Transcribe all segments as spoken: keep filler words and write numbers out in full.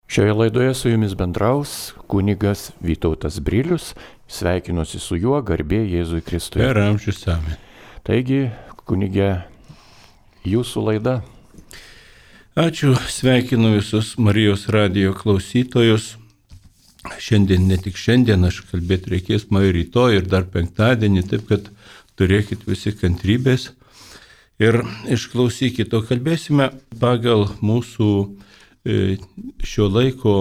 Šioje laidoje su jumis bendraus kunigas Vytautas Brilius, sveikinuosi su juo, garbė Jėzui Kristui. Per amžius amen. Taigi, kunige, jūsų laida. Ačiū, sveikinu visus Marijos radijo klausytojus. Šiandien, ne tik šiandien, aš kalbėti reikės man rytoj ir dar penktadienį, taip kad turėkit visi kantrybės ir išklausykit. O kalbėsime pagal mūsų šio laiko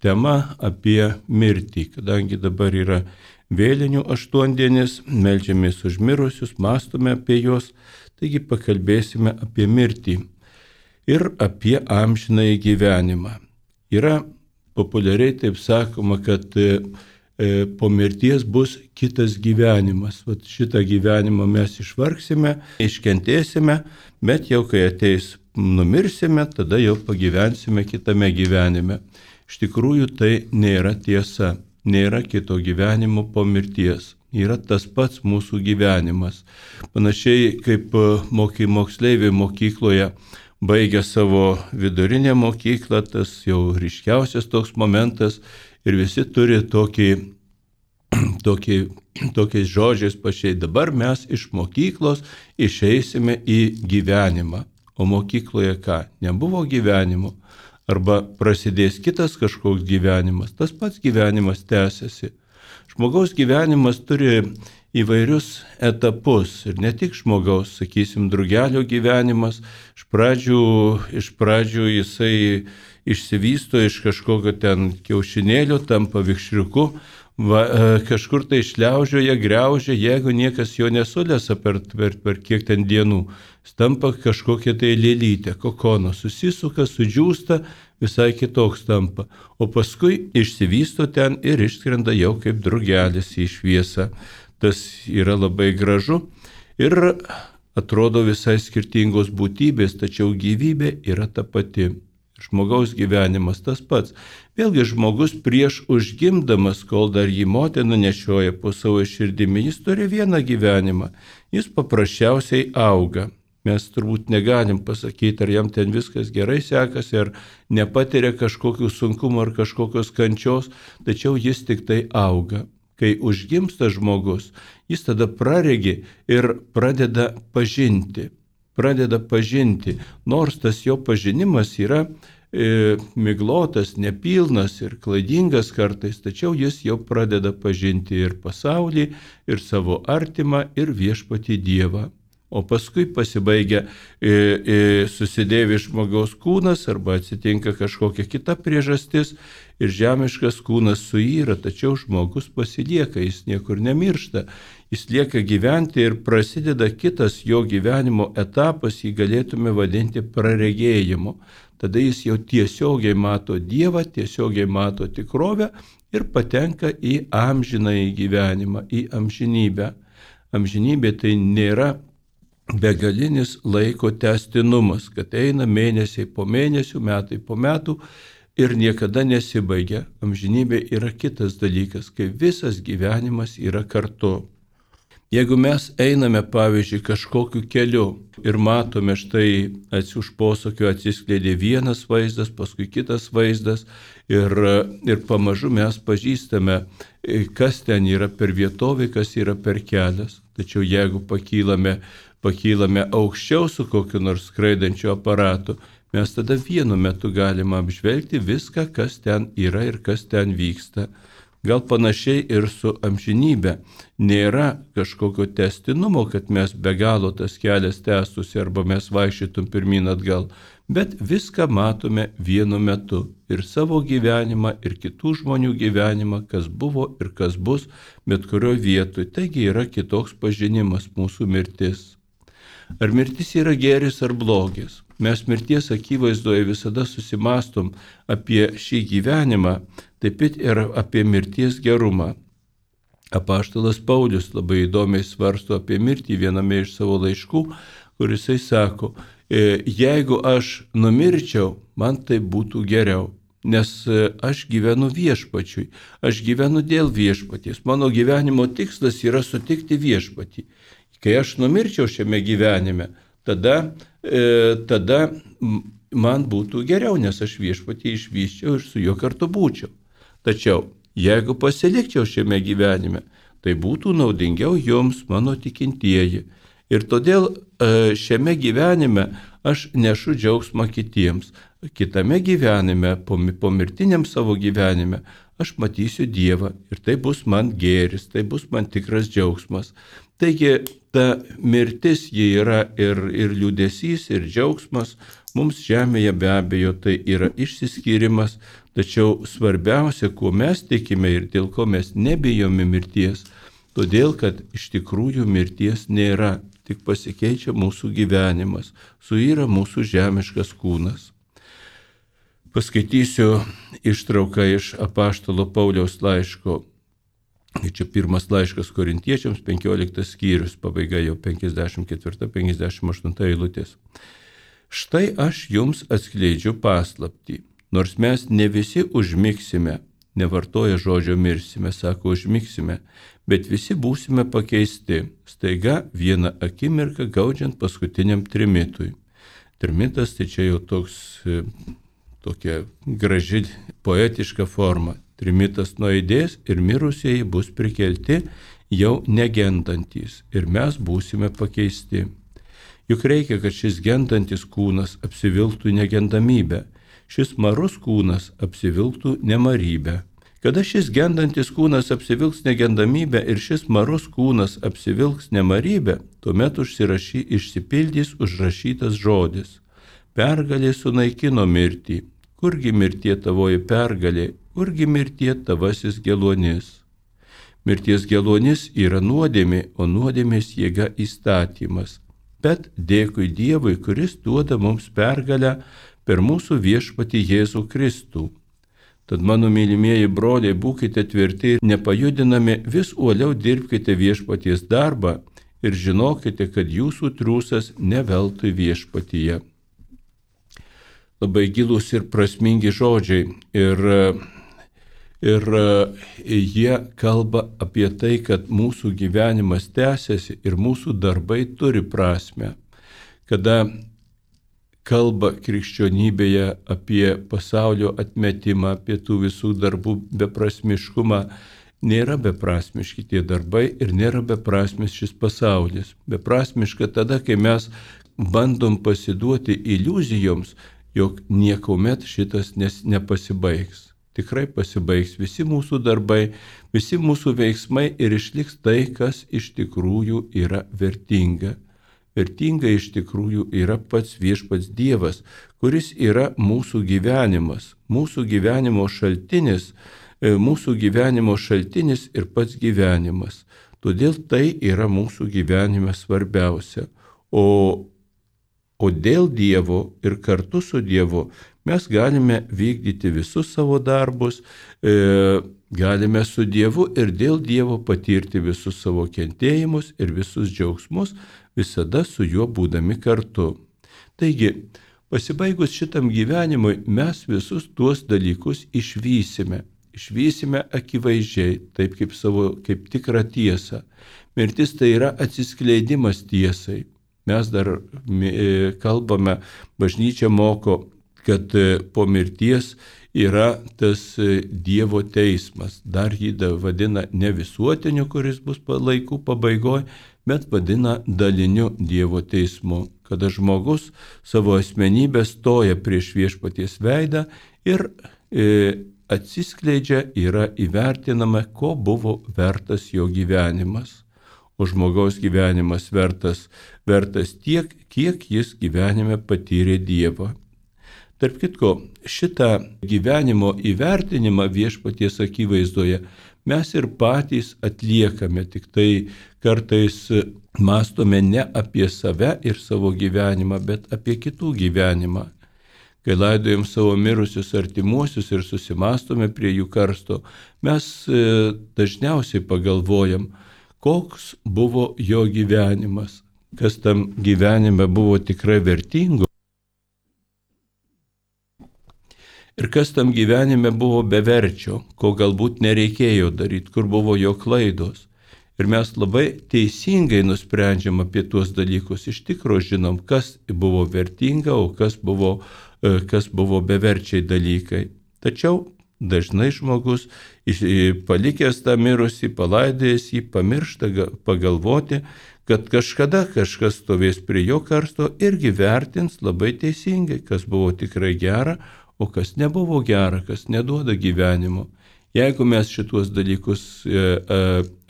tema apie mirtį, kadangi dabar yra vėlinių aštuondienis, meldžiamės už mirusius, mąstome apie juos, taigi pakalbėsime apie mirtį ir apie amžinąjį gyvenimą. Yra populiariai taip sakoma, kad e, po mirties bus kitas gyvenimas. Vat šitą gyvenimą mes išvargsime, iškentėsime, bet jau kai ateis numirsime, tada jau pagyvensime kitame gyvenime. Iš tikrųjų tai nėra tiesa, nėra kito gyvenimo po mirties. Yra tas pats mūsų gyvenimas. Panašiai kaip moky, moksleiviai mokykloje baigia savo vidurinę mokyklą, tas jau ryškiausias toks momentas ir visi turi tokį, tokį, tokiais žodžiais pašiai. Dabar mes iš mokyklos išeisime į gyvenimą. O mokykloje ką? Nebuvo gyvenimo. Arba prasidės kitas kažkoks gyvenimas. Tas pats gyvenimas tęsiasi. Žmogaus gyvenimas turi įvairius etapus. Ir ne tik žmogaus, sakysim, drugelio gyvenimas. Iš pradžių, iš pradžių jisai išsivysto iš kažkokio ten kiaušinėlio, tampa vikšriuku. Va, kažkur tai šliaužioja, griaužia, jeigu niekas jo nesulesa per, per, per kiek ten dienų. Stampa kažkokia tai lėlytė, kokono, susisuka, sudžiūsta, visai kitoks tampa. O paskui išsivysto ten ir išskrenda jau kaip drugelis į šviesą. Tas yra labai gražu ir atrodo visai skirtingos būtybės, tačiau gyvybė yra ta pati. Žmogaus gyvenimas tas pats. Vėlgi žmogus prieš užgimdamas, kol dar jį motina nešioja po savo širdimi, jis turi vieną gyvenimą. Jis paprasčiausiai auga. Mes turbūt negalim pasakyti, ar jam ten viskas gerai sekasi, ar nepatiria kažkokių sunkumų ar kažkokios kančios, tačiau jis tik tai auga. Kai užgimsta žmogus, jis tada praregi ir pradeda pažinti. Pradeda pažinti, nors tas jo pažinimas yra e, miglotas, nepilnas ir klaidingas kartais, tačiau jis jau pradeda pažinti ir pasaulį, ir savo artimą, ir viešpatį Dievą. O paskui pasibaigia e, e, susidėvi žmogaus kūnas arba atsitinka kažkokia kita priežastis ir žemiškas kūnas suyra, tačiau žmogus pasilieka, jis niekur nemiršta. Jis lieka gyventi ir prasideda kitas jo gyvenimo etapas, jį galėtume vadinti praregėjimu. Tada jis jau tiesiogiai mato Dievą, tiesiogiai mato tikrovę ir patenka į amžinąjį gyvenimą, į amžinybę. Amžinybė tai nėra begalinis laiko tęstinumas, kad eina mėnesiai po mėnesių, metai po metų ir niekada nesibaigia. Amžinybė yra kitas dalykas, kai visas gyvenimas yra kartu. Jeigu mes einame, pavyzdžiui, kažkokiu keliu ir matome štai už posūkio atsiskleidė vienas vaizdas, paskui kitas vaizdas ir, ir pamažu mes pažįstame, kas ten yra per vietovė, kas yra per kelias. Tačiau jeigu pakylame, pakylame aukščiau su kokiu nors skraidančiu aparatu, mes tada vienu metu galime apžvelgti viską, kas ten yra ir kas ten vyksta. Gal panašiai ir su amžinybė. Nėra kažkokio tęstinumo, kad mes be galo tas kelias tęstųsi arba mes vaikščytum pirmyn atgal, bet viską matome vienu metu. Ir savo gyvenimą, ir kitų žmonių gyvenimą, kas buvo ir kas bus, bet kurio vietoj. Taigi yra kitoks pažinimas mūsų mirtis. Ar mirtis yra gėris ar blogis? Mes mirties akivaizdoje visada susimastom apie šį gyvenimą, taip pat ir apie mirties gerumą. Apaštalas Paulius labai įdomiai svarsto apie mirtį viename iš savo laiškų, kur jisai sako, jeigu aš numirčiau, man tai būtų geriau, nes aš gyvenu viešpačiui, aš gyvenu dėl viešpaties, mano gyvenimo tikslas yra sutikti viešpatį. Kai aš numirčiau šiame gyvenime, tada, e, tada man būtų geriau, nes aš viešpatį išvyščiau ir su juo kartu būčiau. Tačiau, jeigu pasilikčiau šiame gyvenime, tai būtų naudingiau jums, mano tikintieji. Ir todėl šiame gyvenime aš nešu džiaugsmą kitiems. Kitame gyvenime, pomirtiniam savo gyvenime, aš matysiu Dievą ir tai bus man gėris, tai bus man tikras džiaugsmas. Taigi ta mirtis ji yra ir, ir liūdesys, ir džiaugsmas. Mums žemėje be abejo tai yra išsiskyrimas, tačiau svarbiausia, kuo mes tikime ir dėl ko mes nebijome mirties, todėl kad iš tikrųjų mirties nėra, tik pasikeičia mūsų gyvenimas, suyra mūsų žemiškas kūnas. Paskaitysiu ištrauką iš apaštalo Pauliaus laiško. Čia pirmas laiškas Korintiečiams, penkioliktas skyrius, pabaiga jau penkiasdešimt ketvirta penkiasdešimt aštunta eilutės. Štai aš jums atskleidžiu paslaptį, nors mes ne visi užmigsime, nevartoja žodžio mirsime, sako užmigsime, bet visi būsime pakeisti, staiga vieną akimirką gaudžiant paskutiniam trimitui. Trimitas tai čia jau toks, tokia graži poetiška forma. Trimitas nuaidės ir mirusieji bus prikelti jau negendantys ir mes būsime pakeisti. Juk reikia, kad šis gendantis kūnas apsivilktų negendamybę, šis marus kūnas apsivilktų nemarybę. Kada šis gendantis kūnas apsivilks negendamybę ir šis marus kūnas apsivilks nemarybę, tuomet užsirašy, išsipildys užrašytas žodis. Pergalė sunaikino mirtį. Kurgi mirtie tavoji pergalė, kurgi mirtie tavasis geluonis. Mirties geluonis yra nuodėmė, o nuodėmės jėga įstatymas. Bet dėkui Dievui, kuris duoda mums pergalę per mūsų viešpatį Jėzų Kristų. Tad mano mylimieji broliai, būkite tvirti ir nepajudinami, vis uoliau dirbkite viešpaties darbą ir žinokite, kad jūsų triūsas ne veltui viešpatyje. Labai gilūs ir prasmingi žodžiai ir, ir jie kalba apie tai, kad mūsų gyvenimas tęsiasi ir mūsų darbai turi prasmę. Kada kalba krikščionybėje apie pasaulio atmetimą, apie tų visų darbų beprasmiškumą, nėra beprasmiški tie darbai ir nėra beprasmis šis pasaulis. Beprasmiška tada, kai mes bandom pasiduoti iliuzijoms, jog niekuomet šitas nes nepasibaigs. Tikrai pasibaigs visi mūsų darbai, visi mūsų veiksmai ir išliks tai, kas iš tikrųjų yra vertinga. Vertinga iš tikrųjų yra pats viešpats Dievas, kuris yra mūsų gyvenimas, mūsų gyvenimo šaltinis, mūsų gyvenimo šaltinis ir pats gyvenimas. Todėl tai yra mūsų gyvenime svarbiausia. O O dėl Dievo ir kartu su Dievu mes galime vykdyti visus savo darbus, e, galime su Dievu ir dėl Dievo patirti visus savo kentėjimus ir visus džiaugsmus, visada su juo būdami kartu. Taigi, pasibaigus šitam gyvenimui, mes visus tuos dalykus išvysime. Išvysime akivaizdžiai, taip kaip savo, kaip tikrą tiesą. Mirtis tai yra atsiskleidimas tiesai. Mes dar kalbame, bažnyčia moko, kad po mirties yra tas Dievo teismas. Dar jį vadina ne visuotiniu, kuris bus laikų pabaigoje, bet vadina daliniu Dievo teismu. Kada žmogus savo asmenybę stoja prieš viešpaties veidą ir e, atsiskleidžia, yra įvertinama, ko buvo vertas jo gyvenimas. O žmogaus gyvenimas vertas, vertas tiek, kiek jis gyvenime patyrė Dievą. Tarp kitko, šitą gyvenimo įvertinimą viešpaties akivaizdoje mes ir patys atliekame, tik tai kartais mąstome ne apie save ir savo gyvenimą, bet apie kitų gyvenimą. Kai laidojam savo mirusius artimuosius ir susimastome prie jų karsto, mes dažniausiai pagalvojam, koks buvo jo gyvenimas, kas tam gyvenime buvo tikrai vertingo ir kas tam gyvenime buvo beverčio, ko galbūt nereikėjo daryti, kur buvo jo klaidos. Ir mes labai teisingai nusprendžiam apie tuos dalykus, iš tikro žinom, kas buvo vertinga, o kas buvo kas buvo beverčiai dalykai. Tačiau dažnai žmogus, palikęs tą mirusį, palaidėjęs jį, pamiršta pagalvoti, kad kažkada kažkas stovės prie jo karsto irgi vertins labai teisingai, kas buvo tikrai gera, o kas nebuvo gera, kas neduoda gyvenimo. Jeigu mes šituos dalykus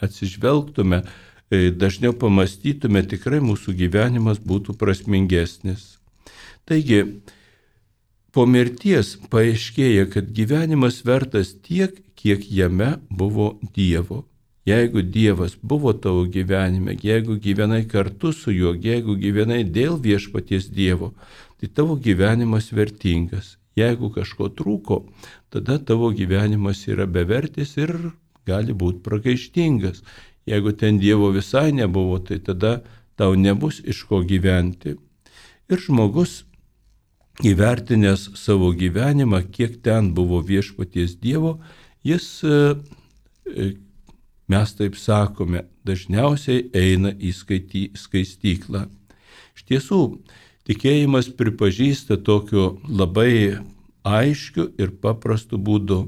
atsižvelgtume, dažniau pamastytume, tikrai mūsų gyvenimas būtų prasmingesnis. Taigi, po mirties paaiškėja, kad gyvenimas vertas tiek, kiek jame buvo Dievo. Jeigu Dievas buvo tavo gyvenime, jeigu gyvenai kartu su juo, jeigu gyvenai dėl viešpaties Dievo, tai tavo gyvenimas vertingas. Jeigu kažko trūko, tada tavo gyvenimas yra bevertis ir gali būti pragaištingas. Jeigu ten Dievo visai nebuvo, tai tada tau nebus iš ko gyventi. Ir žmogus, įvertinęs savo gyvenimą, kiek ten buvo viešpaties Dievo, jis, mes taip sakome, dažniausiai eina į skaistyklą. Iš tiesų, tikėjimas pripažįsta tokiu labai aiškiu ir paprastu būdu.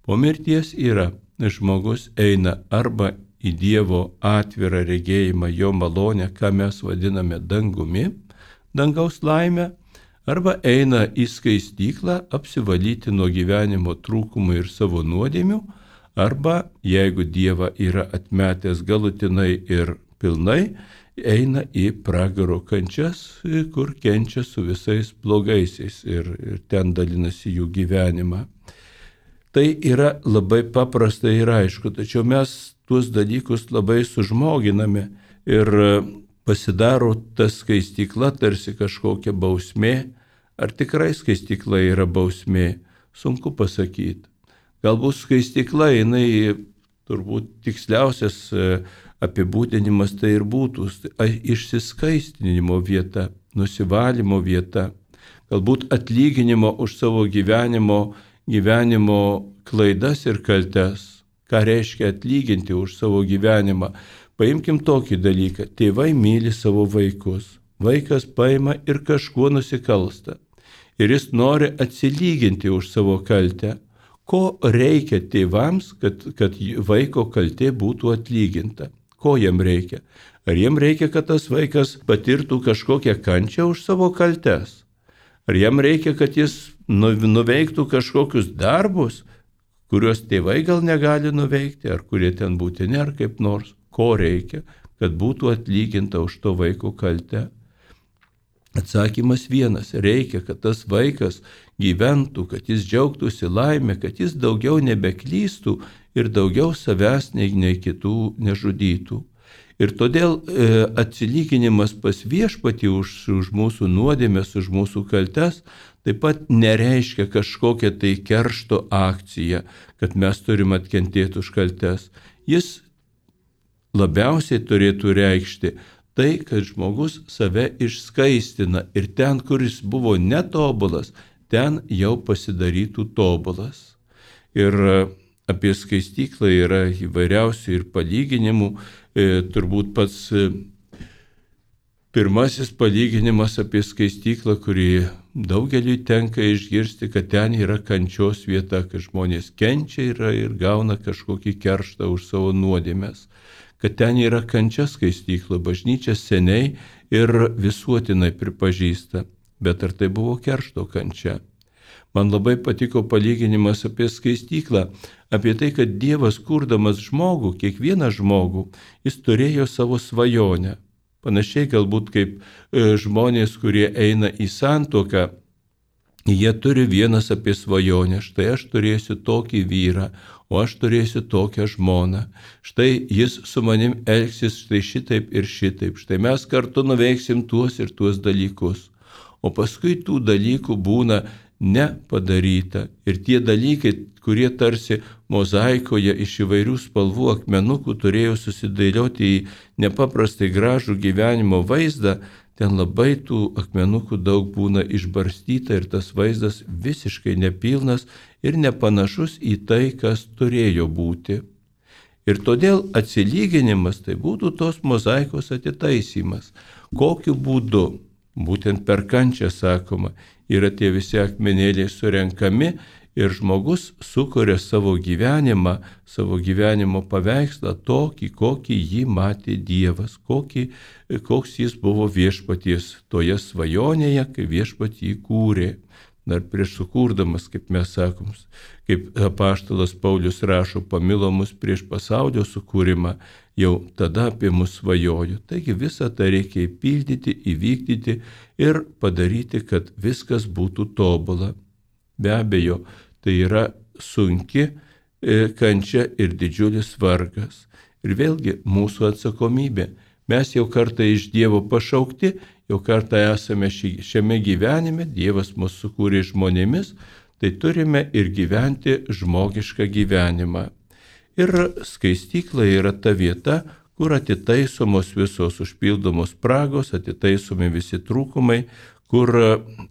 Po mirties yra, žmogus eina arba į Dievo atvirą regėjimą, jo malonę, ką mes vadiname dangumi, dangaus laimę, arba eina į skaistyklą apsivalyti nuo gyvenimo trūkumų ir savo nuodėmių, arba, jeigu Dievą yra atmetęs galutinai ir pilnai, eina į pragaro kančias, kur kenčia su visais blogaisiais ir, ir ten dalinasi jų gyvenimą. Tai yra labai paprasta ir aišku, tačiau mes tuos dalykus labai sužmoginame ir pasidaro ta skaistykla tarsi kažkokia bausmė. Ar tikrai skaistykla yra bausmė? Sunku pasakyti. Galbūt skaistykla, jinai turbūt tiksliausias apibūdinimas tai ir būtų išsiskaistinimo vieta, nusivalymo vieta, galbūt atlyginimo už savo gyvenimo, gyvenimo klaidas ir kaltes. Ką reiškia atlyginti už savo gyvenimą? Paimkim tokį dalyką. Tėvai myli savo vaikus. Vaikas paima ir kažkuo nusikalsta. Ir jis nori atsilyginti už savo kaltę. Ko reikia tėvams, kad, kad vaiko kaltė būtų atlyginta? Ko jam reikia? Ar jam reikia, kad tas vaikas patirtų kažkokią kančią už savo kaltes? Ar jam reikia, kad jis nuveiktų kažkokius darbus, kuriuos tėvai gal negali nuveikti, ar kurie ten būtini, ar kaip nors? Ko reikia, kad būtų atlyginta už to vaiko kaltę? Atsakymas vienas. Reikia, kad tas vaikas gyventų, kad jis džiaugtųsi laimę, kad jis daugiau nebeklystų ir daugiau savęs nei, nei kitų nežudytų. Ir todėl e, atsilyginimas pas viešpatį už, už mūsų nuodėmes, už mūsų kaltes, taip pat nereiškia kažkokią tai keršto akciją, kad mes turim atkentėti už kaltes. Jis labiausiai turėtų reikšti tai, kad žmogus save išskaistina ir ten, kuris buvo netobulas, ten jau pasidarytų tobulas. Ir apie skaistyklą yra įvairiausių ir palyginimų. E, turbūt pats e, pirmasis palyginimas apie skaistyklą, kurį daugeliui tenka išgirsti, kad ten yra kančios vieta, kad žmonės kenčia yra ir gauna kažkokį kerštą už savo nuodėmes. Kad ten yra kančia skaistykla, bažnyčia seniai ir visuotinai pripažįsta. Bet ar tai buvo keršto kančia? Man labai patiko palyginimas apie skaistyklą, apie tai, kad Dievas kurdamas žmogų, kiekvieną žmogų, jis turėjo savo svajonę. Panašiai galbūt kaip žmonės, kurie eina į santuoką, jie turi vienas apie svajonę. Štai aš turėsiu tokį vyrą, o aš turėsiu tokią žmoną. Štai jis su manim elgsis štai šitaip ir šitaip. Štai mes kartu nuveiksim tuos ir tuos dalykus. O paskui tų dalykų būna nepadaryta. Ir tie dalykai, kurie tarsi mozaikoje iš įvairių spalvų akmenukų turėjo susidėlioti į nepaprastai gražų gyvenimo vaizdą, ten labai tų akmenukų daug būna išbarstyta ir tas vaizdas visiškai nepilnas ir nepanašus į tai, kas turėjo būti. Ir todėl atsilyginimas tai būtų tos mozaikos atitaisymas. Kokiu būdu? Būtent per kančią sakoma, yra tie visi akmenėliai surenkami ir žmogus sukuria savo gyvenimą, savo gyvenimo paveikslą tokį, kokį jį matė Dievas, kokį, koks jis buvo viešpaties toje svajonėje, kai viešpat jį kūrė. Dar prieš sukurdamas, kaip mes sakom, kaip apaštalas Paulius rašo, pamilo mus prieš pasaulio sukūrimą, jau tada apie mus svajojo. Taigi visą tą reikia įpildyti, įvykdyti ir padaryti, kad viskas būtų tobula. Be abejo, tai yra sunki kančia ir didžiulis vargas. Ir vėlgi mūsų atsakomybė. Mes jau kartą iš Dievo pašaukti, jau kartą esame šiame gyvenime, Dievas mus sukūrė žmonėmis, tai turime ir gyventi žmogišką gyvenimą. Ir skaistykla yra ta vieta, kur atitaisomos visos užpildomos spragos, atitaisomi visi trūkumai, kur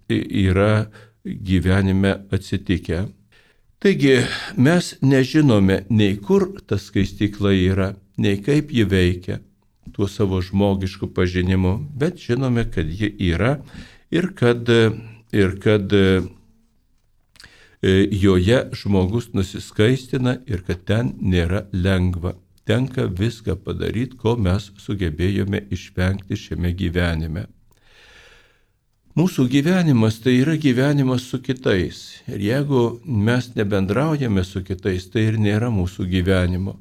yra gyvenime atsitikę. Taigi mes nežinome nei kur ta skaistykla yra, nei kaip ji veikia tuo savo žmogišku pažinimu, bet žinome, kad ji yra ir kad, ir kad joje žmogus nusiskaistina ir kad ten nėra lengva. Tenka viską padaryti, ko mes sugebėjome išvengti šiame gyvenime. Mūsų gyvenimas tai yra gyvenimas su kitais. Ir jeigu mes nebendraujame su kitais, tai ir nėra mūsų gyvenimo.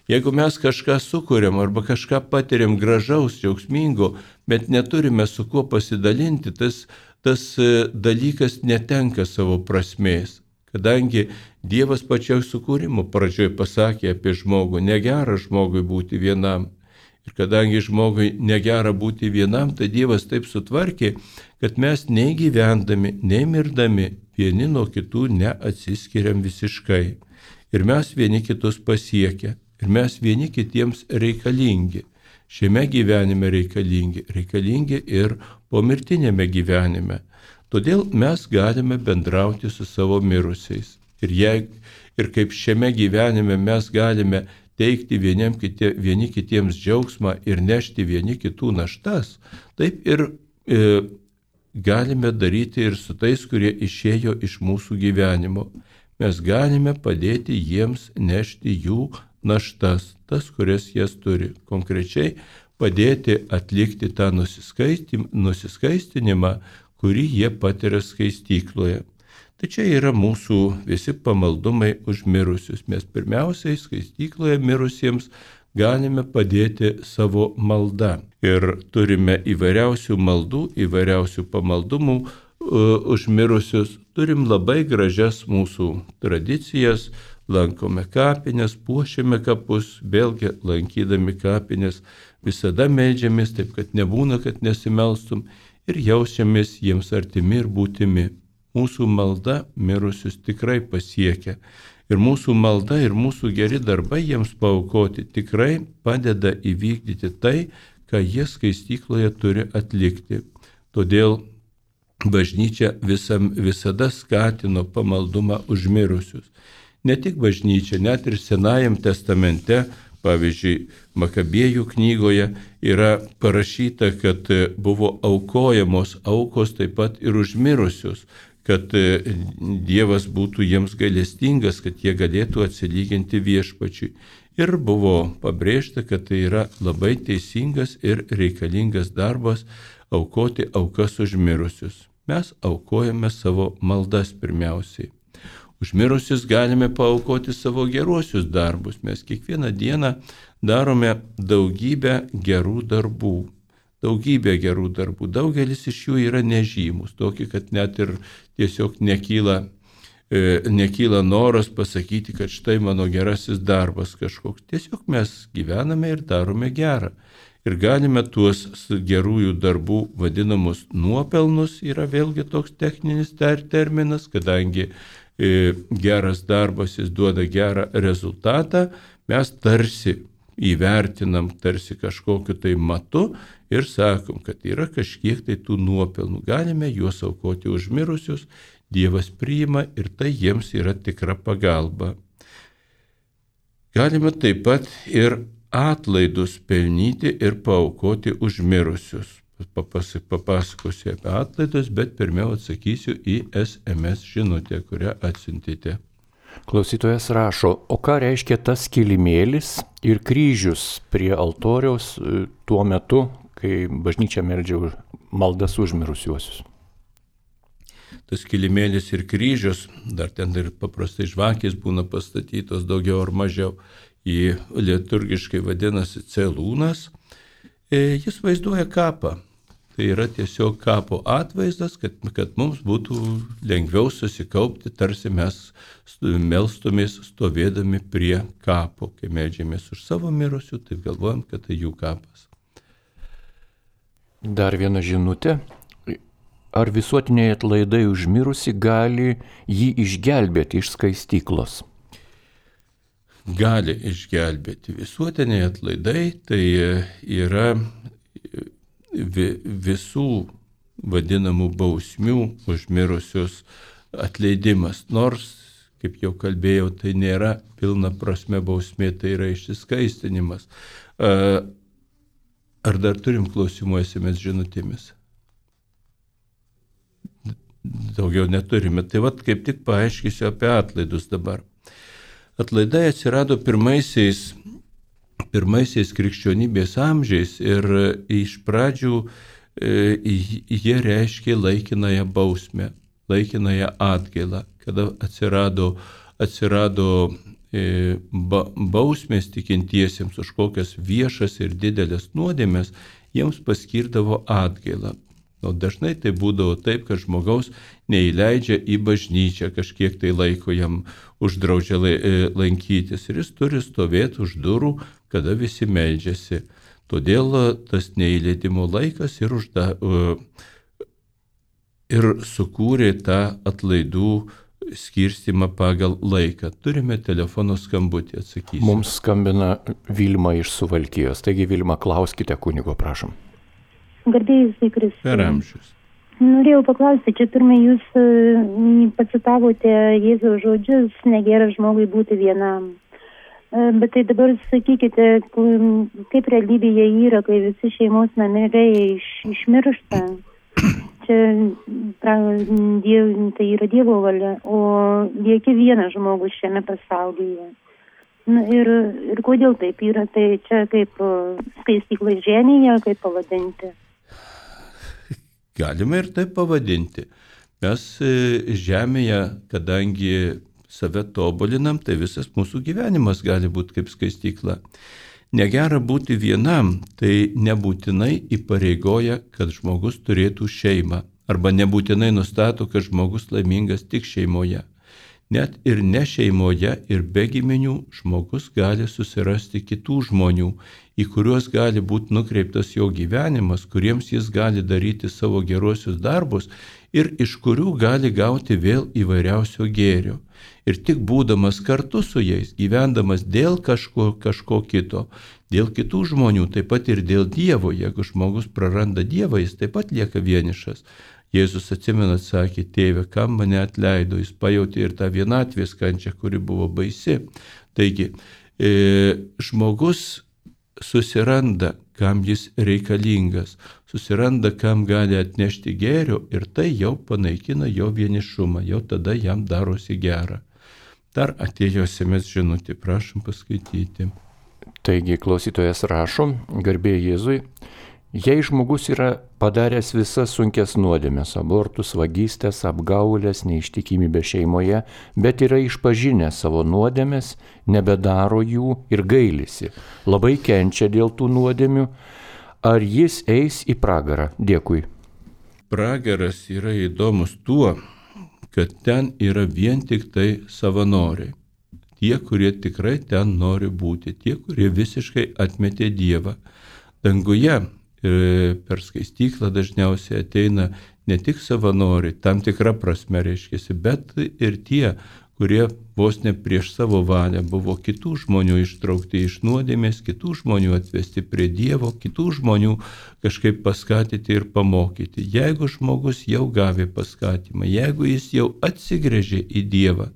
Jeigu mes kažką sukuriam arba kažką patiriam gražaus, džiaugsmingo, bet neturime su kuo pasidalinti, tas, tas dalykas netenka savo prasmės. Kadangi Dievas pačioj sukūrimo pradžioj pasakė apie žmogų, negera žmogui būti vienam. Ir kadangi žmogui negera būti vienam, tai Dievas taip sutvarkė, kad mes nei gyvendami, nei mirdami vieni nuo kitų neatsiskiriam visiškai. Ir mes vieni kitus pasiekia. Ir mes vieni kitiems reikalingi. Šiame gyvenime reikalingi. Reikalingi ir pomirtinėme gyvenime. Todėl mes galime bendrauti su savo mirusiais. Ir, jei, ir kaip šiame gyvenime mes galime teikti vieniem kitie, vieni kitiems džiaugsmą ir nešti vieni kitų naštas, taip ir e, galime daryti ir su tais, kurie išėjo iš mūsų gyvenimo. Mes galime padėti jiems nešti jų naštas, tas, kurias jas turi. Konkrečiai padėti atlikti tą nusiskaistinimą, kurį jie patiria skaistykloje. Tai čia yra mūsų visi pamaldumai už mirusius. Mes pirmiausiai skaistykloje mirusiems galime padėti savo maldą. Ir turime įvairiausių maldų, įvairiausių pamaldumų uh, už mirusius. Turim labai gražias mūsų tradicijas, lankome kapines, puošiame kapus, vėlgi lankydami kapines visada meldžiamės, taip kad nebūna, kad nesimelstum ir jaučiamės jiems artimi ir būtimi. Mūsų malda mirusius tikrai pasiekia. Ir mūsų malda ir mūsų geri darbai jiems paaukoti tikrai padeda įvykdyti tai, ką jie skaistykloje turi atlikti. Todėl bažnyčia visam, visada skatino pamaldumą už mirusius. Ne tik bažnyčia, net ir Senajam testamente, pavyzdžiui, Makabėjų knygoje yra parašyta, kad buvo aukojamos aukos taip pat ir už mirusius, kad Dievas būtų jiems gailestingas, kad jie galėtų atsilyginti viešpačiui. Ir buvo pabrėžta, kad tai yra labai teisingas ir reikalingas darbas aukoti aukas už mirusius. Mes aukojame savo maldas pirmiausiai. Už mirusius galime paaukoti savo geruosius darbus. Mes kiekvieną dieną darome daugybę gerų darbų. Daugybė gerų darbų. Daugelis iš jų yra nežymus, tokie, kad net ir tiesiog nekyla, e, nekyla noras pasakyti, kad štai mano gerasis darbas kažkoks. Tiesiog mes gyvename ir darome gerą. Ir galime tuos gerųjų darbų vadinamus nuopelnus, yra vėlgi toks techninis ter- terminas, kadangi e, geras darbas jis duoda gerą rezultatą, mes tarsi įvertinam tarsi kažkokiu tai matu ir sakom, kad yra kažkiek tai tų nuopelnų. Galime juos aukoti už mirusius, Dievas priima ir tai jiems yra tikra pagalba. Galime taip pat ir atlaidus pelnyti ir paaukoti už mirusius. papasakosiu apie atlaidus, bet pirmiau atsakysiu į es em es žinutę, kurią atsiuntėte. Klausytojas rašo, o ką reiškia tas kilimėlis ir kryžius prie altoriaus tuo metu, kai bažnyčia meldžia maldas už mirusiuosius? Tas kilimėlis ir kryžius, dar ten ir paprastai žvakės būna pastatytos daugiau ar mažiau, į liturgiškai vadinasi celūnas, jis vaizduoja kapą. Tai yra tiesiog kapo atvaizdas, kad, kad mums būtų lengviau susikaupti, tarsi mes melstumės stovėdami prie kapo. Kai meldžiamės už savo mirusių, taip galvojam, kad tai jų kapas. Dar viena žinutė. Ar visuotiniai atlaidai už mirusį gali jį išgelbėti iš skaistyklos? Gali išgelbėti. Visuotiniai atlaidai tai yra visų vadinamų bausmių už mirusius atleidimas. Nors, kaip jau kalbėjau, tai nėra pilna prasme bausmė, tai yra išsiskaistinimas. Ar dar turim klausimų es em es žinutėmis? Daugiau neturime. Tai vat kaip tik paaiškysiu apie atlaidus dabar. Atlaidai atsirado pirmaisiais pirmaisiais krikščionybės amžiais ir iš pradžių e, jie reiškė laikinąją bausmę, laikinąją atgailą, kada atsirado, atsirado e, ba, bausmės tikintiesiems už kokias viešas ir didelės nuodėmės, jiems paskirdavo atgailą. O dažnai tai būdavo taip, kad žmogaus neįleidžia į bažnyčią, kažkiek tai laiko jam uždraudžia lankytis ir jis turi stovėti už durų, kada visi meldžiasi. Todėl tas neįleidimo laikas ir, užda, ir sukūrė tą atlaidų skirstimą pagal laiką. Turime telefono skambutį, atsakysiu. Mums skambina Vilma iš Suvalkijos. Taigi, Vilma, klauskite kunigo, prašom. Garbėjus į Kristų. Per amžius. Norėjau paklausti, čia pirmai jūs uh, pacitavote Jėzaus žodžius, negera žmogui būti vienam. Uh, bet tai dabar sakykite, kaip realybėje yra, kai visi šeimos nariai iš, išmiršta. Čia pra, diev, tai yra Dievo valia, o lieki vienas žmogus šiame pasaulyje. Na, ir, ir kodėl taip yra, tai čia kaip uh, skaistykla žemėje, kaip pavadinti. Galime ir taip pavadinti. Mes žemėje, kadangi save tobulinam, tai visas mūsų gyvenimas gali būti kaip skaistykla. Negera būti vienam, tai nebūtinai įpareigoja, kad žmogus turėtų šeimą. Arba nebūtinai nustato, kad žmogus laimingas tik šeimoje. Net ir ne šeimoje ir be giminių žmogus gali susirasti kitų žmonių, į kuriuos gali būti nukreiptas jo gyvenimas, kuriems jis gali daryti savo geruosius darbus ir iš kurių gali gauti vėl įvairiausio gėrio. Ir tik būdamas kartu su jais, gyvendamas dėl kažko, kažko kito, dėl kitų žmonių, taip pat ir dėl Dievo, jeigu žmogus praranda Dievą, jis taip pat lieka vienišas. Jėzus atsimena, sakė, tėve, kam mane atleido, jis pajautė ir tą vienatvės kančią, kuri buvo baisi. Taigi, e, žmogus susiranda, kam jis reikalingas, susiranda, kam gali atnešti gėrio ir tai jau panaikina jo vienišumą, jau tada jam darosi gera. Dar atėjo es em es žinutė, prašom paskaityti. Taigi, klausytojas rašo, garbė Jėzui, jei žmogus yra padaręs visas sunkias nuodėmes, abortus, vagystes, apgaulės, neištikimybę šeimoje, bet yra išpažinęs savo nuodėmes, nebedaro jų ir gailisi, labai kenčia dėl tų nuodėmių, ar jis eis į pragarą? Dėkui. Pragaras yra įdomus tuo, kad ten yra vien tik tai savanoriai. Tie, kurie tikrai ten nori būti, tie, kurie visiškai atmetė Dievą. Danguje per skaistyklą dažniausiai ateina ne tik savanoriai, tam tikra prasme reiškiasi, bet ir tie, kurie vos ne prieš savo valią buvo kitų žmonių ištraukti iš nuodėmės, kitų žmonių atvesti prie Dievo, kitų žmonių kažkaip paskatinti ir pamokyti. Jeigu žmogus jau gavė paskatimą, jeigu jis jau atsigręžė į Dievą,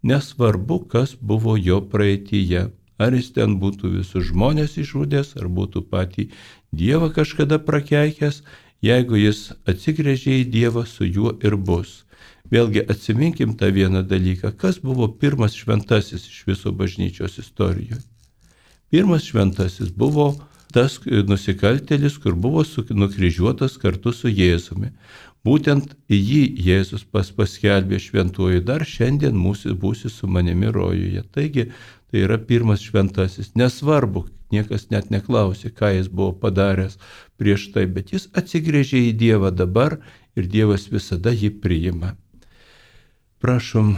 nesvarbu, kas buvo jo praeityje, ar jis ten būtų visus žmonės išžudęs, ar būtų patį Dievą kažkada prakeikęs, Jeigu jis atsigręžė į Dievą, su juo ir bus. Vėlgi atsiminkim tą vieną dalyką. Kas buvo pirmas šventasis iš viso bažnyčios istorijoje? Pirmas šventasis buvo tas nusikaltėlis, kur buvo nukryžiuotas kartu su Jėzumi. Būtent jį Jėzus pas paskelbė šventuoju, dar šiandien mūsų būsi su manimi rojuje. Taigi tai yra pirmas šventasis. Nesvarbu, niekas net neklausė, ką jis buvo padaręs prieš tai, bet jis atsigręžė į Dievą dabar ir Dievas visada jį priima. Prašom.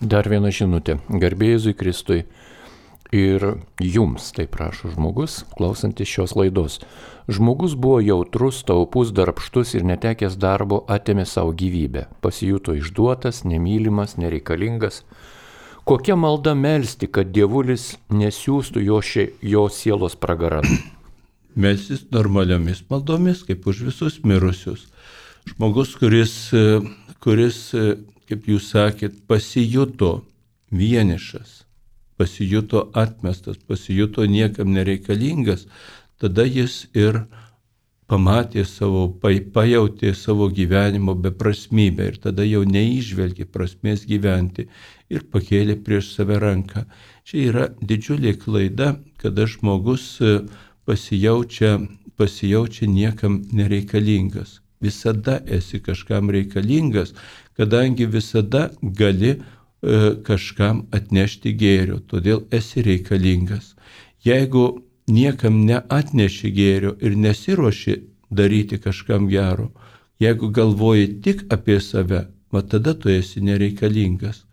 Dar viena žinutė. Garbė Jėzui Kristui. Ir jums, tai prašo žmogus, klausantis šios laidos. Žmogus buvo jautrus, taupus, darbštus ir netekęs darbo atėmė savo gyvybę. Pasijuto išduotas, nemylimas, nereikalingas. Kokia malda melsti, kad dievulis nesiųstų jo, šie, jo sielos pragaran? Melsis normaliomis maldomis, kaip už visus mirusius. Žmogus, kuris, kuris, kaip jūs sakėt, pasijuto vienišas, pasijuto atmestas, pasijuto niekam nereikalingas, tada jis ir pamatė savo, pajautė savo gyvenimo beprasmybę ir tada jau neįžvelgė prasmės gyventi ir pakėlė prieš save ranką. Čia yra didžiulė klaida, kada žmogus pasijaučia, pasijaučia niekam nereikalingas. Visada esi kažkam reikalingas, kadangi visada gali kažkam atnešti gėrio, todėl esi reikalingas. Jeigu niekam neatneši gėrio ir nesiruoši daryti kažkam gero, jeigu galvoji tik apie save, va tada tu esi nereikalingas.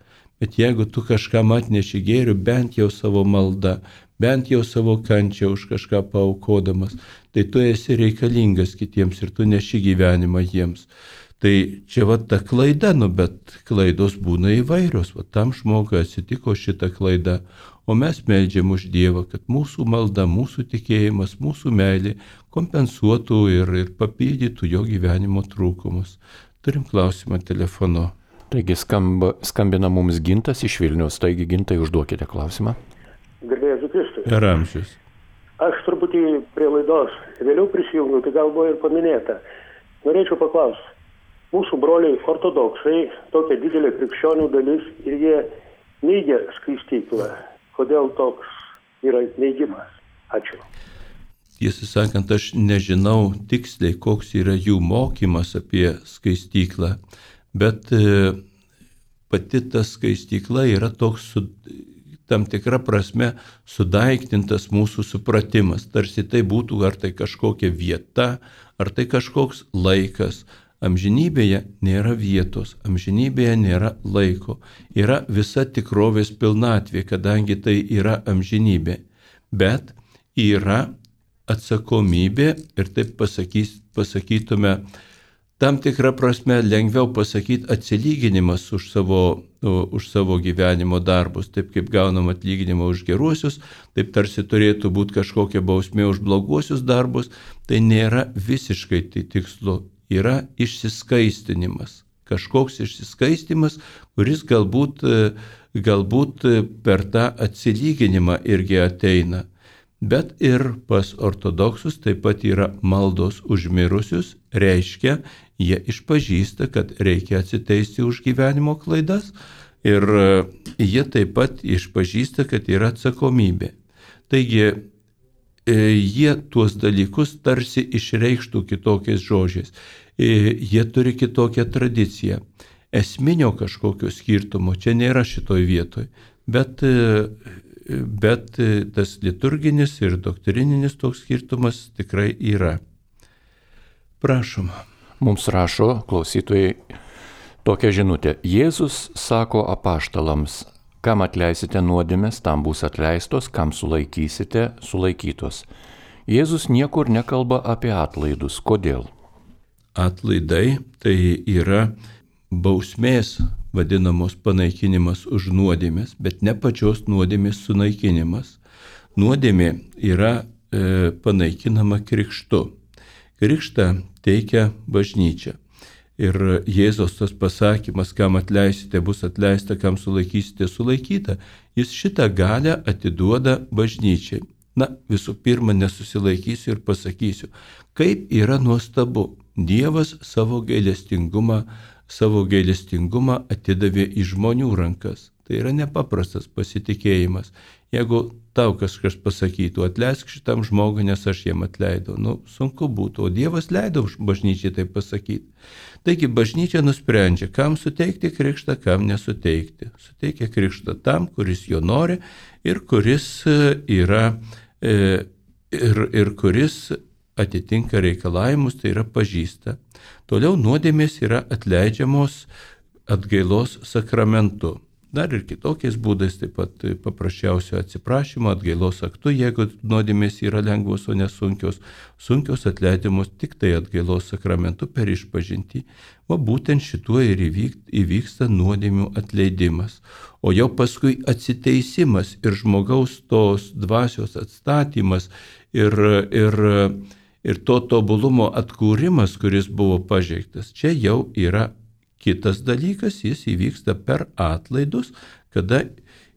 Bet jeigu tu kažkam atneši gėrio, bent jau savo malda, bent jau savo kančią už kažką paaukodamas, tai tu esi reikalingas kitiems ir tu neši gyvenimą jiems. Tai čia va ta klaida, nu bet klaidos būna įvairios, va tam žmogui atsitiko šita klaida, o mes meldžiam už Dievą, kad mūsų malda, mūsų tikėjimas, mūsų meilė kompensuotų ir, ir papildytų jo gyvenimo trūkumus. Turim klausimą telefonu. Taigi skamba, skambina mums Gintas iš Vilniaus, taigi Gintai užduokite klausimą. Garbė Jėzui Kristui. Ir amžius. Aš truputį prie laidos vėliau prisijungiu, tai gal buvo ir paminėta. Norėčiau paklausti. Mūsų broliai ortodoksai, tokia didelė krikščionių dalis ir jie neigia skaistyklą. Kodėl toks yra neigimas? Ačiū. Tiesą sakant, aš nežinau tiksliai, koks yra jų mokymas apie skaistyklą, bet e, pati ta skaistykla yra toks su, tam tikra prasme sudaiktintas mūsų supratimas. Tarsi tai būtų ar tai kažkokia vieta, ar tai kažkoks laikas. Amžinybėje nėra vietos, amžinybėje nėra laiko, yra visa tikrovės pilnatvė, kadangi tai yra amžinybė, bet yra atsakomybė ir taip pasakys, pasakytume, tam tikrą prasme lengviau pasakyti atsilyginimas už savo, už savo gyvenimo darbus, taip kaip gaunam atlyginimą už geruosius, taip tarsi turėtų būti kažkokia bausmė už bloguosius darbus, tai nėra visiškai tai tikslu. Yra išsiskaistinimas, kažkoks išsiskaistimas, kuris galbūt, galbūt per tą atsilyginimą irgi ateina. Bet ir pas ortodoksus taip pat yra maldos už mirusius, reiškia, jie išpažįsta, kad reikia atsiteisti už gyvenimo klaidas ir jie taip pat išpažįsta, kad yra atsakomybė. Taigi, jie tuos dalykus tarsi išreikštų kitokiais žodžiais. Jie turi kitokią tradiciją. Esminio kažkokio skirtumo čia nėra šitoj vietoj, bet, bet tas liturginis ir doktrininis toks skirtumas tikrai yra. Prašom. Mums rašo klausytojai tokią žinutę. Jėzus sako apaštalams, kam atleisite nuodėmes, tam bus atleistos, kam sulaikysite, sulaikytos. Jėzus niekur nekalba apie atlaidus. Kodėl? Atlaidai tai yra bausmės vadinamos panaikinimas už nuodėmes, bet ne pačios nuodėmės sunaikinimas. Nuodėmė yra e, panaikinama krikštu. Krikštą teikia bažnyčia. Ir Jėzos tas pasakymas, kam atleisite, bus atleista, kam sulaikysite, sulaikyta, jis šitą galią atiduoda bažnyčiai. Na, visų pirma, nesusilaikysiu ir pasakysiu, kaip yra nuostabu, Dievas savo gailestingumą, savo gailestingumą atidavė į žmonių rankas. Tai yra nepaprastas pasitikėjimas. Jeigu tau kažkas pasakytų, atleisk šitam žmogui, nes aš jam atleidau, nu, sunku būtų, o Dievas leido bažnyčiai tai pasakyti. Taigi bažnyčia nusprendžia, kam suteikti krikštą, kam nesuteikti. Suteikia krikštą tam, kuris jo nori ir kuris yra, ir, ir kuris atitinka reikalavimus, tai yra pažįsta. Toliau nuodėmės yra atleidžiamos atgailos sakramentu. Dar ir kitokiais būdais, taip pat paprasčiausio atsiprašymo, atgailos aktu, jeigu nuodėmės yra lengvos, o nesunkios, sunkios atleidimos tik tai atgailos sakramentu per išpažintį. O būtent šituo ir įvyksta nuodėmių atleidimas. O jau paskui atsiteisimas ir žmogaus tos dvasios atstatymas ir, ir, ir to tobulumo atkūrimas, kuris buvo pažeiktas, čia jau yra kitas dalykas, jis įvyksta per atlaidus, kada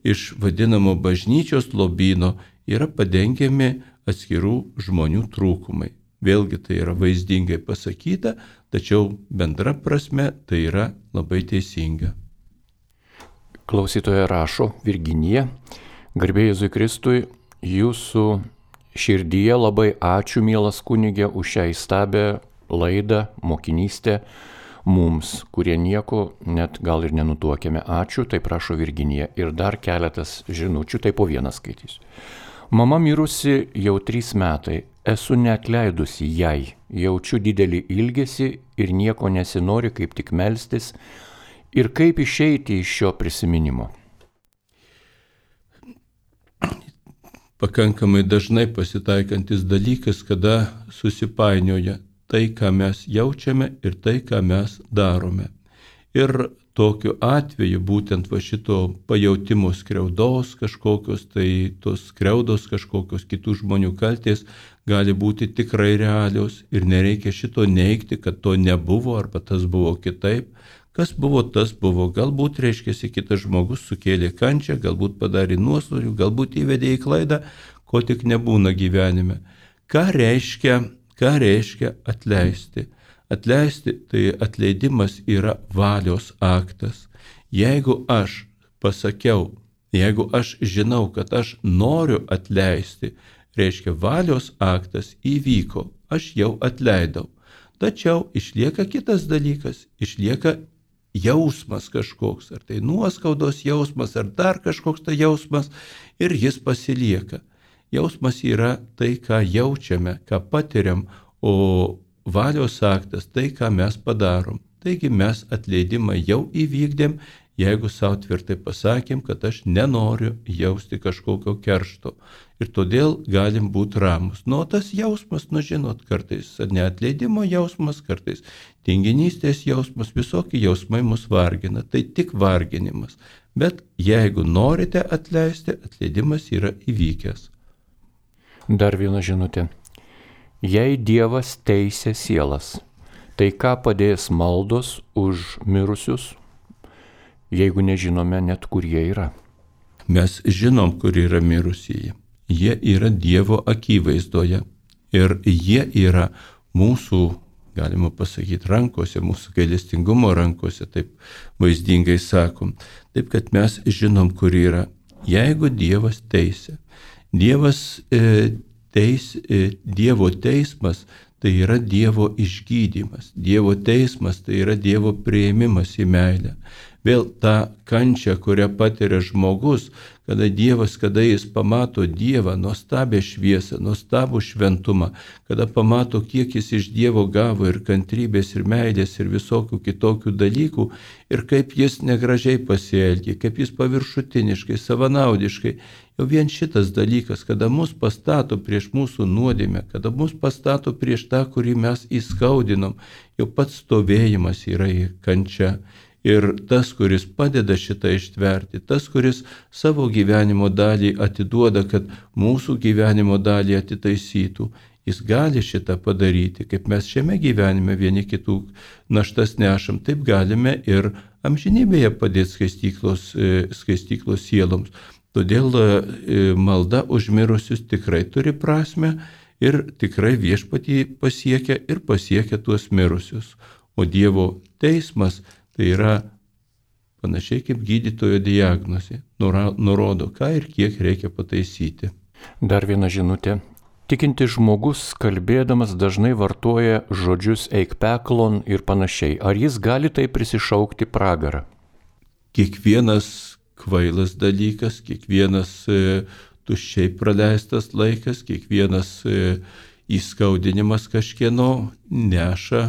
iš vadinamo bažnyčios lobyno yra padengiami atskirų žmonių trūkumai. Vėlgi tai yra vaizdingai pasakyta, tačiau bendra prasme tai yra labai teisinga. Klausytoja rašo, Virginija, garbė Jėzui Kristui, jūsų širdyje labai ačiū, mielas kunige, už šią įstabią laidą, mokinystę, mums, kurie nieko net gal ir nenutuokėme. Ačiū, tai prašo Virginija. Ir dar keletas žinučių, tai po vieną skaitysiu. Mama mirusi jau trys metai. Esu neatleidusi jai. Jaučiu didelį ilgesį ir nieko nesinori, kaip tik melstis. Ir kaip išeiti iš šio prisiminimo. Pakankamai dažnai pasitaikantis dalykas, kada susipainioja tai, ką mes jaučiame ir tai, ką mes darome. Ir tokiu atveju būtent va šito pajautimo skriaudos kažkokios, tai tos skriaudos kažkokios kitų žmonių kaltės gali būti tikrai realios ir nereikia šito neigti, kad to nebuvo arba tas buvo kitaip. Kas buvo, tas buvo. Galbūt, reiškiasi, kitas žmogus sukėlė kančią, galbūt padarė nuostolių, galbūt įvedė į klaidą, ko tik nebūna gyvenime. Ką reiškia Ką reiškia atleisti? Atleisti, tai atleidimas yra valios aktas. Jeigu aš pasakiau, jeigu aš žinau, kad aš noriu atleisti, reiškia valios aktas įvyko, aš jau atleidau. Tačiau išlieka kitas dalykas, išlieka jausmas kažkoks, ar tai nuoskaudos jausmas, ar dar kažkoks tai jausmas, ir jis pasilieka. Jausmas yra tai, ką jaučiame, ką patiriam, o valios aktas tai, ką mes padarom. Taigi mes atleidimą jau įvykdėm, jeigu savo tvirtai pasakėm, kad aš nenoriu jausti kažkokio keršto. Ir todėl galim būti ramus. Nu, tas jausmas, nu žinot, kartais neatleidimo jausmas, kartais tinginystės jausmas, visokie jausmai mus vargina. Tai tik varginimas. Bet jeigu norite atleisti, atleidimas yra įvykęs. Dar viena žinutė. Jei Dievas teisia sielas, tai ką padės maldos už mirusius, jeigu nežinome net, kur jie yra? Mes žinom, kur yra mirusieji. Jie yra Dievo akivaizdoje ir jie yra mūsų, galima pasakyti, rankose, mūsų gailestingumo rankose, taip vaizdingai sakom. Taip, kad mes žinom, kur yra. Jeigu Dievas teisia, Dievas, e, teis, e, Dievo teismas tai yra Dievo išgydymas. Dievo teismas tai yra Dievo priėmimas į meilę. Vėl ta kančia, kurią patiria žmogus, kada Dievas, kada jis pamato Dievą, nuostabią šviesą, nuostabų šventumą, kada pamato, kiek jis iš Dievo gavo ir kantrybės, ir meilės, ir visokių kitokių dalykų, ir kaip jis negražiai pasielgė, kaip jis paviršutiniškai, savanaudiškai. Jau vien šitas dalykas, kada mus pastato prieš mūsų nuodėmę, kada mus pastato prieš tą, kurį mes įskaudinom, jau pats stovėjimas yra į kančią. Ir tas, kuris padeda šitą ištverti, tas, kuris savo gyvenimo dalį atiduoda, kad mūsų gyvenimo dalį atitaisytų, jis gali šitą padaryti. Kaip mes šiame gyvenime vieni kitų naštas nešam, taip galime ir amžinybėje padėti skaistyklos, skaistyklos sieloms. Todėl malda už mirusius tikrai turi prasme ir tikrai viešpatį pasiekia ir pasiekia tuos mirusius. O Dievo teismas tai yra panašiai kaip gydytojo diagnozė, nurodo, ką ir kiek reikia pataisyti. Dar viena žinutė. Tikintis žmogus, kalbėdamas, dažnai vartoja žodžius eik peklon ir panašiai. Ar jis gali tai prisišaukti pragarą? Kiekvienas kvailas dalykas, kiekvienas e, tuščiai praleistas laikas, kiekvienas e, įskaudinimas kažkieno neša,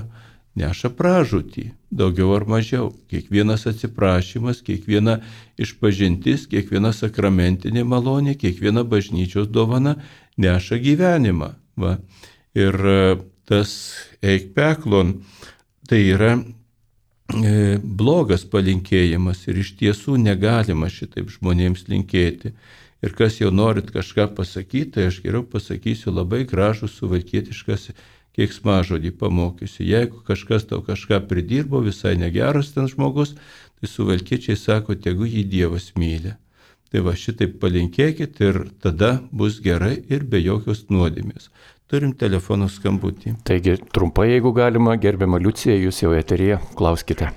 neša pražūtį, daugiau ar mažiau. Kiekvienas atsiprašymas, kiekviena išpažintis, kiekviena sakramentinė malonė, kiekviena bažnyčios dovana neša gyvenimą. Va. Ir tas eik peklon tai yra e, blogas palinkėjimas ir iš tiesų negalima šitaip žmonėms linkėti. Ir kas jau norit kažką pasakyti, tai aš geriau pasakysiu labai gražų suvalkietiškas keiksmažodį pamokysiu. Jeigu kažkas tau kažką pridirbo, visai negeras ten žmogus, tai suvalkiečiai sako, tegu jį Dievas myli. Tai va šitaip palinkėkit ir tada bus gerai ir be jokios nuodėmės. Turim telefonų skambutį. Taigi, trumpai, jeigu galima, gerbiama Liucija, jūs jau eteryje, klauskite.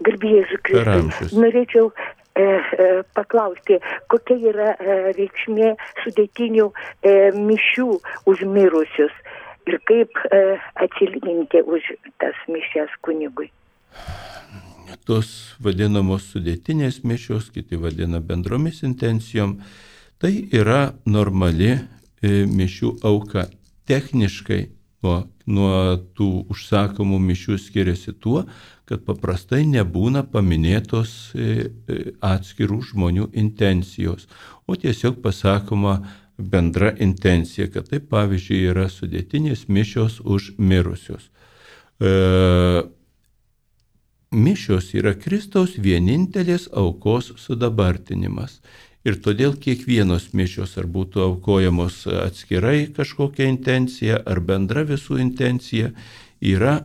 Garbėjai Jėzui Kristui. Norėčiau e, e, paklausti, kokia yra e, reikšmė sudėtinių e, mišių už mirusius ir kaip e, atsilyginti už tas mišias kunigui. Tos vadinamos sudėtinės mišios, kiti vadina bendromis intencijom, tai yra normali e, mišių auka. Techniškai nuo, nuo tų užsakomų mišių skiriasi tuo, kad paprastai nebūna paminėtos e, atskirų žmonių intencijos, o tiesiog pasakoma bendra intencija, kad tai pavyzdžiui yra sudėtinės mišios už mirusius. E, Mišios yra Kristaus vienintelės aukos sudabartinimas. Ir todėl kiekvienos mišios, ar būtų aukojamos atskirai kažkokia intencija, ar bendra visų intencija, yra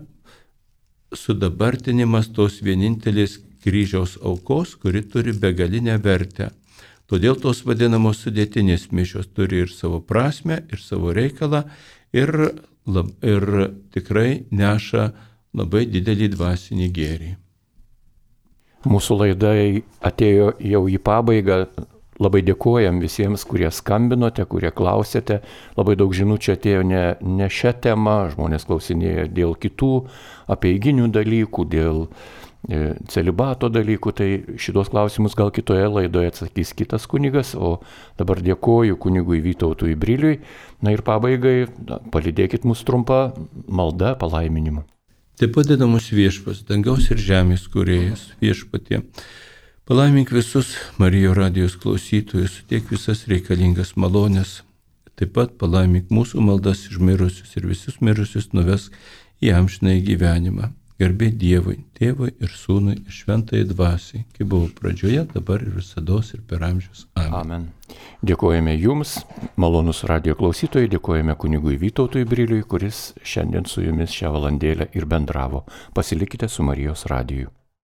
sudabartinimas tos vienintelės kryžiaus aukos, kuri turi begalinę vertę. Todėl tos vadinamos sudėtinės mišios turi ir savo prasmę, ir savo reikalą, ir, lab, ir tikrai neša labai didelį dvasinį gėrį. Mūsų laida atėjo jau į pabaigą. Labai dėkojam visiems, kurie skambinote, kurie klausėte. Labai daug žinučių atėjo ne, ne šią temą, žmonės klausinėjo dėl kitų apeiginių dalykų, dėl e, celibato dalykų. Tai šitos klausimus gal kitoje laidoje atsakys kitas kunigas, o dabar dėkoju kunigui Vytautui Briliui. Na ir pabaigai na, palydėkit mus trumpą maldą palaiminimu. Taip padeda mūsų viešpats, dangaus ir žemės kūrėjas, viešpatie. Palaimink visus Marijos radijos klausytojus, suteik visas reikalingas malonės. Taip pat palaimink mūsų maldas už mirusius ir visus mirusius nuvesk į amžinąjį gyvenimą. Garbė Dievui, Tėvui ir Sūnui ir Šventajai Dvasiai, kaip buvo pradžioje, dabar ir visados ir per amžius. Amen. Amen. Dėkojame Jums, malonus radijo klausytojai, dėkojame kunigui Vytautui Briliui, kuris šiandien su Jumis šią valandėlę ir bendravo. Pasilikite su Marijos radiju.